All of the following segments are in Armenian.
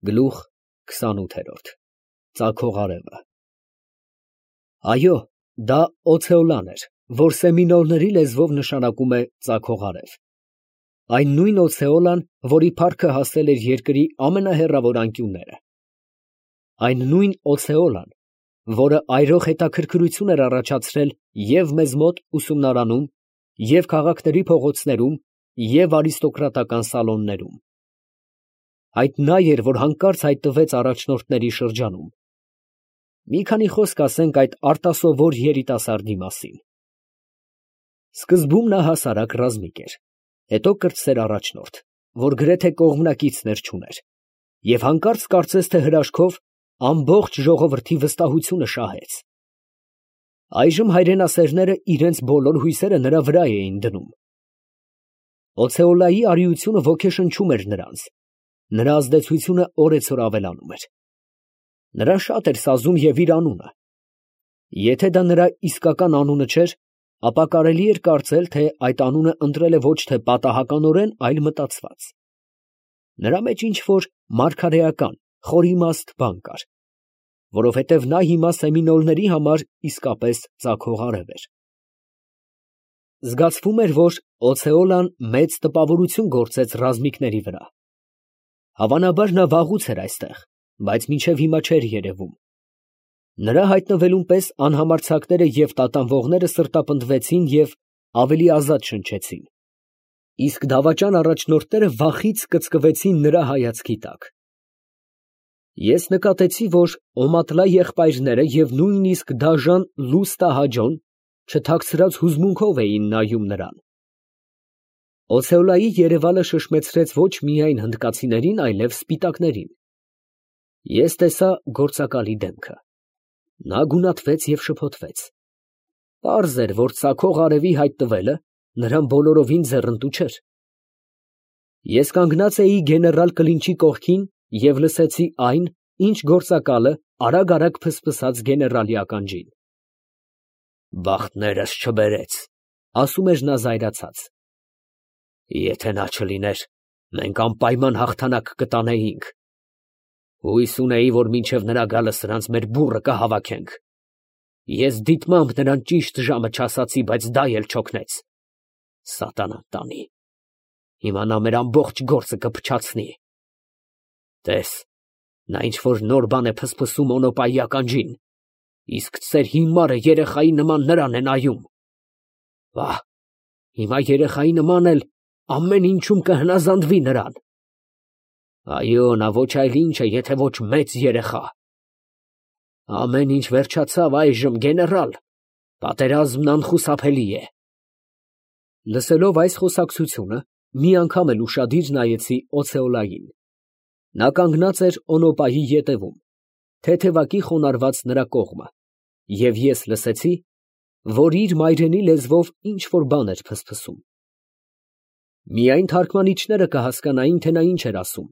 Գլուխ 28 Ծագող արևը Այո, դա օցեոլան էր, որ սեմինոլների լեզվով նշանակում է ծագող արև։ Այն նույն օցեոլան, որի փառքը հասել էր երկրի ամենահեռավոր անկյունները։ Այն նույն օցեոլան, որը այրող հետաքրքրություն էր առաջացրել և մեզ մոտ ուսումնարանում, և քաղաքների փողոցներում, և արիստոկրատական սալոններում։ Այդ նա էր, որ հանկարծ հայտնվեց առաջնորդների շրջանում։ Մի քանի խոսք ասենք այդ արտասովոր երիտասարդի մասին։ Սկզբում նա հասարակ ռազմիկ էր, հետո կրտսեր առաջնորդ, որ գրեթե կողմնակիցներ չուներ, և հանկարծ կարծես թե հրաշքով ամբողջ ժողովրդի վստահությունը շահեց։ Այժմ հայրենասերները իրենց բոլոր հույսերը նրա վրա էին դնում։ Օցեոլայի արիությունը ոգեշնչում էր նրանց, նրա ազդեցությունը օրեցօր ավելանում էր։ Նրան շատ էր սազում և իր անունը։ Եթե դա նրա իսկական անունը չէր, ապա կարելի էր կարծել, թե այդ անունը ընտրել է ոչ թե պատահականորեն, այլ մտածված։ Նրա մեջ ինչ֊որ մարգարեական, խորիմաստ բան կար, որովհետև նա հիմա սեմինոլների համար իսկապես ծագող արև էր։ Զգացվում էր, որ օցեոլան մեծ տպավորություն գործեց ռազմիկների վրա։ Հավանաբար նա վաղուց էր այստեղ, բայց մինչև հիմա չէր երևում։ Նրա հայտնվելուն պես անհամարձակները և տատանվողները սրտապնդվեցին և ավելի ազատ շնչեցին, իսկ դավաճան առաջնորդները վախից կծկվեցին նրա հայացքի տակ։ Ես նկատեցի, որ Օմատլա եղբայրները և նույնիսկ դաժան Լուստահաջոն չթաքցրած հուզմունքով էին նայում նրան։ Օցեոլայի երևալը շշմեցրեց ոչ միայն հնդկացիներին, այլև սպիտակներին։ Ես տեսա գործակալի դեմքը։ Նա գունատվեց և շփոթվեց։ Պարզ էր, որ ծագող արևի հայտնվելը նրան բոլորովին ձեռնտու չէր։ Ես կանգնած էի գեներալ Կլինչի կողքին և լսեցի այն, ինչ գործակալը արագ ֆսֆսաց գեներալի ականջին։ «Բախտներս չբերեց», ասում էր նա զայրացած։ «Եթե նա չլիներ, մենք անպայման հաղթանակ կտանեինք։ Հույս ունեի, որ մինչև նրա գալը սրանց մեր բուռը կհավաքենք։ Ես դիտմամբ նրան ճիշտ ժամը չասացի, բայց դա էլ չօգնեց։ Սատանան տանի։ Հիմա նա մեր ամբողջ գործը կփչացնի։ Տես, նա ինչ֊որ նոր բան է ֆսֆսում Օնոպայի ականջին, իսկ ծեր հիմարը երեխայի նման նրան է նայում։ Վա, հիմա երեխայի նման էլ ամեն ինչում կհնազանդվի նրան։ Այո, նա ոչ այլ ինչ է, եթե ոչ մեծ երեխա։ Ամեն ինչ վերջացավ այժմ, գեներալ, պատերազմն անխուսափելի է»։ Լսելով այս խոսակցությունը, մի անգամ էլ ուշադիր նայեցի օցեոլային։ Նա կանգնած էր Օնոպայի ետևում, թեթևակի խոնարհված նրա կողմը, և ես լսեցի, որ իր մայրենի լեզվով ինչ֊որ բան էր ֆսֆսում։ Միայն թարգմանիչները կհասկանային, թե նա ինչ էր ասում,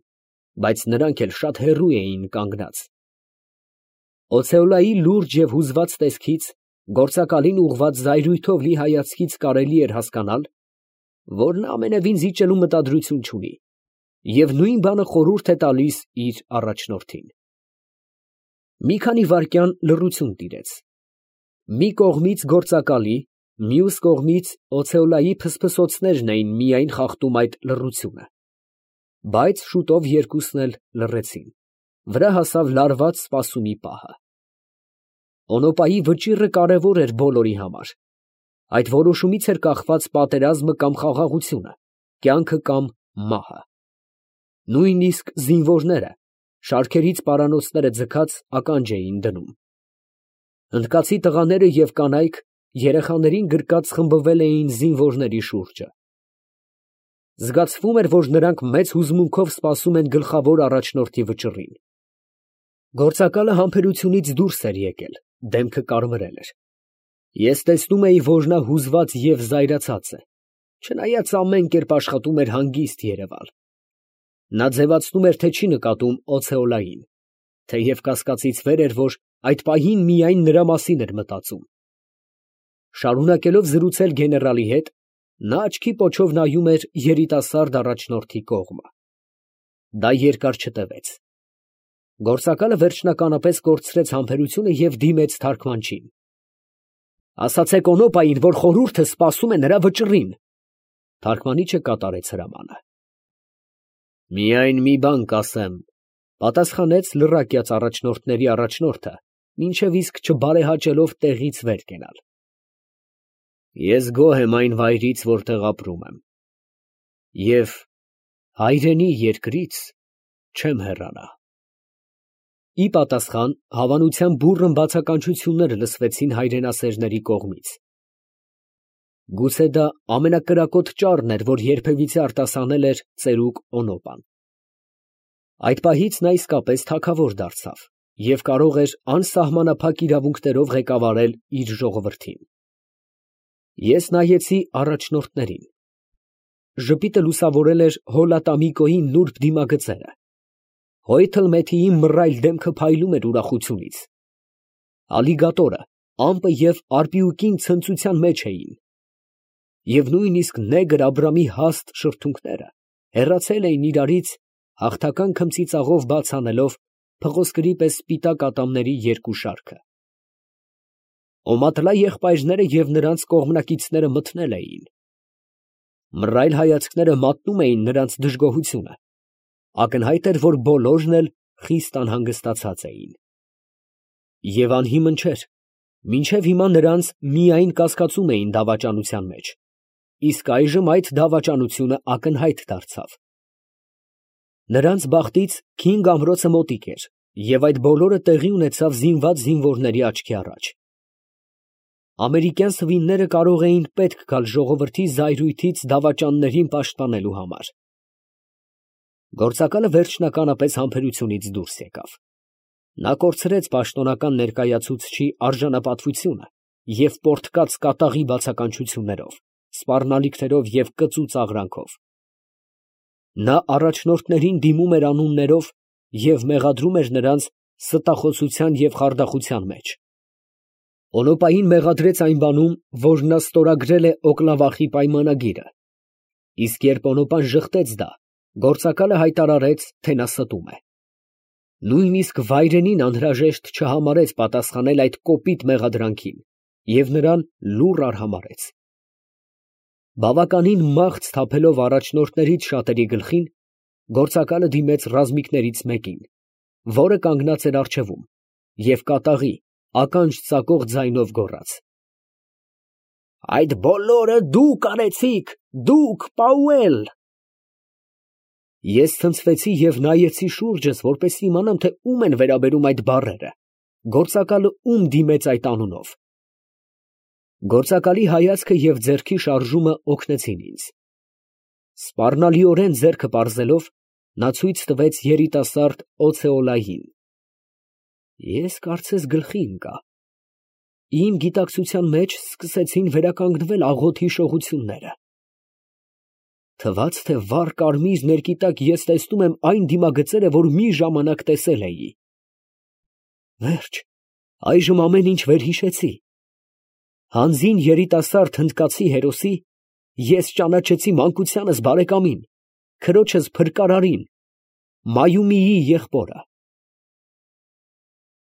բայց նրանք էլ շատ հեռու էին կանգնած։ Օցեոլայի լուրջ և հուզված տեսքից, գործակալին ուղղված զայրույթով լի հայացքից կարելի էր հասկանալ, որ նա ամենևին զիջելու մտադրություն չունի և նույն բանը խորհուրդ է տալիս իր առաջնորդին։ Մի քանի վայրկյան լռություն տիրեց։ Մի կողմից գործակալի, մյուս կողմից օցեոլայի ֆսֆսոցներն էին միայն խախտում այդ լռությունը։ Բայց շուտով երկուսն էլ լռեցին, վրա հասավ լարված սպասումի պահը։ Օնոպայի վճիռը կարևոր էր բոլորի համար։ Այդ որոշումից էր կախված պատերազմը կամ խաղաղությունը, կյանքը կամ մահը։ Նույնիսկ զինվորները, շարքերից պարանոցները ձգած, ականջ էին դնում։ Հնդկացի տղաները և կանայք երեխաներին գրկած խմբվել էին զինվորների շուրջը։ Զգացվում էր, որ նրանք մեծ հուզմունքով սպասում են գլխավոր առաջնորդի վճռին։ Գործակալը համբերությունից դուրս էր եկել, դեմքը կարմրել էր։ Ես տեսնում էի, որ նա հուզված և զայրացած է, չնայած ամեն կերպ աշխատում էր հանգիստ երևալ։ Նա ձևացնում էր, թե չի նկատում օցեոլային, թեև կասկածից վեր էր, որ այդ պահին միայն նրա մասին էր մտածում։ Շարունակելով զրուցել գեներալի հետ, նա աչքի պոչով նայում էր երիտասարդ առաջնորդի կողմը։ Դա երկար չտևեց։ Գործակալը վերջնականապես կորցրեց համբերությունը և դիմեց թարգմանչին։ Ասացեք Օնոպային, որ խորհուրդը սպասում է նրա վճռին։ Թարգմանիչը կատարեց հրամանը։ Միայն մի բան կասեմ, պատասխանեց լրակյաց առաջնորդների առաջնորդը, մինչև իսկ չբարեհաճելով տեղից վեր կենալ։ Ես գոհ եմ այն վայրից, որտեղ ապրում եմ, և հայրենի երկրից չեմ հեռանա։ Ի պատասխան հավանության բուռն բացականչություններ լսվեցին հայրենասերների կողմից։ Գուցե դա ամենակրակոտ ճառն էր, որ երբևիցե արտասանել էր ծերուկ Օնոպան։ Այդ պահից նա իսկապես թագավոր դարձավ և կարող էր անսահմանափակ իրավունքներով ղեկավարել իր ժողովրդին։ Ես նայեցի առաջնորդներին։ Ժպիտը լուսավորել էր Հոլատամիկոյի նուրբ դիմագծերը։ Հոյթլմեթիի մռայլ դեմքը փայլում էր ուրախությունից։ Ալիգատորը, ամպը և արպիուկին ցնծության մեջ էին։ Եվ նույնիսկ նեգր Աբրամի հաստ շրթունքները հեռացել էին իրարից, հաղթական քմծիծաղով բաց անելով փղոսկրի պես սպիտակ ատամների երկու շարքը։ Օմատլա եղբայրները և նրանց կողմնակիցները մթնել էին։ Մռայլ հայացքները մատնում էին նրանց դժգոհությունը։ Ակնհայտ էր, որ բոլորն էլ խիստ անհանգստացած էին։ Եվ անհիմն չէր, մինչև հիմա նրանց միայն կասկածում էին դավաճանության մեջ, իսկ այժմ այդ դավաճանությունը ակնհայտ դարձավ։ Նրանց բախտից Քինգ ամրոցը մոտիկ էր, և այդ բոլորը տեղի ունեցավ զինված զինվորների աչքի առաջ։ Ամերիկյան սվինները կարող էին պետք գալ ժողովրդի զայրույթից դավաճաններին պաշտպանելու համար։ Գործակալը վերջնականապես համբերությունից դուրս եկավ։ Նա կորցրեց պաշտոնական ներկայացուցչի արժանապատվությունը և պորտկաց կատաղի բացականչություններով, սպառնալիքներով և կծու ծաղրանքով։ Նա առաջնորդներին դիմում էր անուններով և մեղադրում էր նրանց ստախոսության և խարդախության մեջ։ Օնոպային մեղադրեց այն բանում, որ նա ստորագրել է Օկլավախի պայմանագիրը, իսկ երբ Օնոպան ժխտեց դա, գործակալը հայտարարեց, թե նա ստում է։ Նույնիսկ վայրենին անհրաժեշտ չհամարեց պատասխանել այդ կոպիտ մեղադրանքին և նրան լուռ արհամարհեց։ Բավականին մաղթ թափելով առաջնորդներից շատերի գլխին, գործակալը դիմեց ռազմիկներից մեկին, որը կանգնած էր առջևում, և կատաղի, ականջ ծակող ձայնով գոռաց. «Այդ բոլորը դուք արեցիք, դուք, Պաուել»։ Ես ցնցվեցի և նայեցի շուրջս, որպեսզի իմանամ, թե ում են վերաբերում այդ բառերը, գործակալը ում դիմեց այդ անունով։ Գործակալի հայացքը և ձեռքի շարժումը օգնեցին ինձ։ Սպառնալիորեն ձեռքը պարզելով, նա ցույց տվեց երիտասարդ Օցեոլային։ Ես կարծես գլխի ընկա։ Իմ գիտակցության մեջ սկսեցին վերականգնվել աղոթի շողությունները։ Թվաց, թե վառ կարմիր ներկի տակ ես տեսնում եմ այն դիմագծերը, որ մի ժամանակ տեսել էի։ Վերջ, այժմ ամեն ինչ վերհիշեցի։ Հանձին երիտասարդ հնդկացի հերոսի ես ճանաչեցի մանկությանս բարեկամին, քրոջս փրկարարին, Մայումիի եղբորը։